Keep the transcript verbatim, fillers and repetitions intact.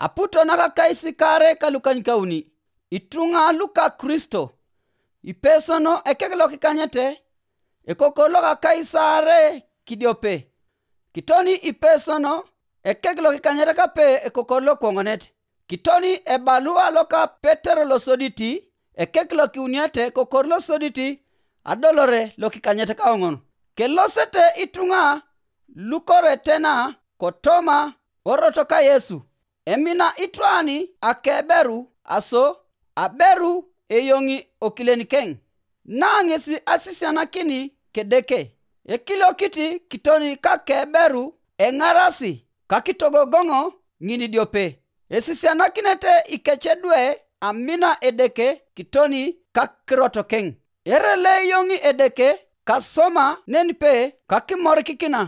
Aputo nakakais kaare kalukanykauni, ituŋa luka Kristo. Ipesono ekek lokikanyete, ekokor lokakais aare kidiope. Kitoni ipesono ekek lokikanyet kape ekokor lokwoŋonet. Kitoni ebalua loka Petero losoditi, ekek lokiuniete kokor losoditi, adolore lokikanyet kaoŋon. Kelosete ituŋa lukoretena kotoma orot ka Yesu. Emina itwani akeberu aso aberu eyoŋi okileniken, na ŋesi asisianakini kedeke. Ekiliokiti kitoni kakeberu eŋarasi kakitogogoŋo ŋinidiope. Esisianakinete ikecedwe amina Edeke kitoni kakirotokeŋ. Erele eyoŋi Edeke kasoma nenipe kakimorikikina.